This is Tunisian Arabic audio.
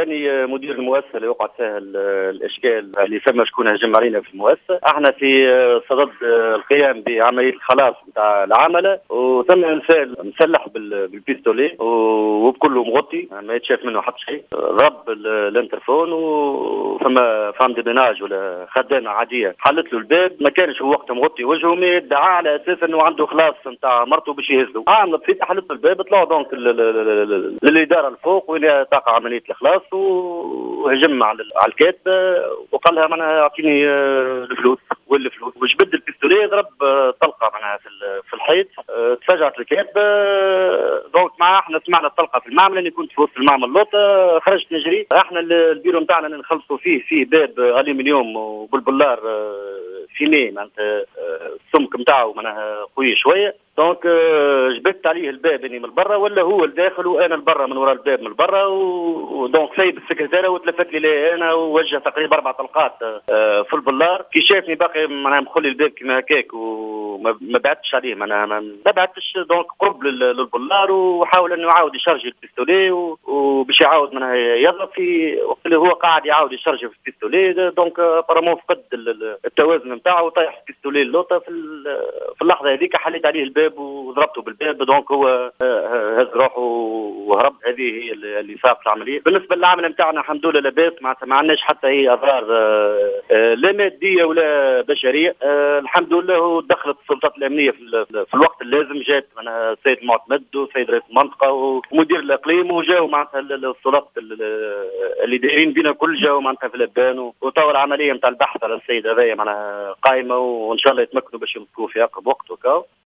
اني مدير المؤسسة اللي وقعت فيها الاشكال اللي ثم شكون هجم علينا في المؤسسه. احنا في صدد القيام بعملية الخلاص نتاع العمله، وثم انسان مسلح بال pistolet وبكله مغطي، ما يتشاف منه حتى شيء. ضرب l'interphone وفما femme de ménage ولا خدامه عادية حلت له الباب. ما كانش هو وقتها مغطي وجهه، mais ادعى على اساس انه عنده خلاص نتاع مرته باش يهزه. عامله بسيطه، حلت له الباب، طلعوا donc للادارة الفوق وين تقع عملية الخلاص، وهجم على الكاتبة وقال لها معناها اعطيني الفلوس، وين الفلوس؟ وجبد ال pistolet، ضرب طلقه معناها في الحيط. تفاجأت الكاتبه. donc مع احنا سمعنا الطلقة في المعمل، اني كنت في وسط المعمل لوطه، خرجت نجري. احنا البيرو نتاعنا نخلصوا فيه باب الومنيوم وبالبلار fumé، معناتها السمك نتاعو معناها قوي شويه. donc جبدت عليه الباب اني من برا ولا هو الداخل وانا البرا من وراء الباب من برا، و donc سيب السكرتيره وتلفت لي انا ووجه تقريبا 4 طلقات في البلار. كي شافني باقي معناها مخلي الباب كيما هكاك وما بعدتش عليه، معناها ما بعدتش، donc قرب للبلار وحاول انه يعاود يشارجي ال pistolet وباش يعاود معناها يضرب. في وقت اللي هو قاعد يعاود يشارجي في ال pistolet، donc apparemment فقد التوازن نتاعو وطيح ال pistolet اللوطه. في اللحظة هذيك حليت عليه الباب وضربته بالباب، donc هو هز روحه وهرب. هذه هي اللي صارت العمليه. بالنسبة للعمل نتاعنا الحمد لله لاباس، معناتها ما عندناش حتى اي اضرار لا مادية ولا بشريه. الحمد لله دخلت السلطات الامنية في الوقت اللازم، جات معناها السيد المعتمد وسيد رئيس المنطقة ومدير الاقليم، وجاوا معناتها السلطات اللي دايرين بينا كل جاوا معناتها في الابان، وتوا العملية نتاع البحث على السيد هذايا معناها قائمه، وان شاء الله يتمكنوا باش يمسكوه في اقرب وقت وكاو.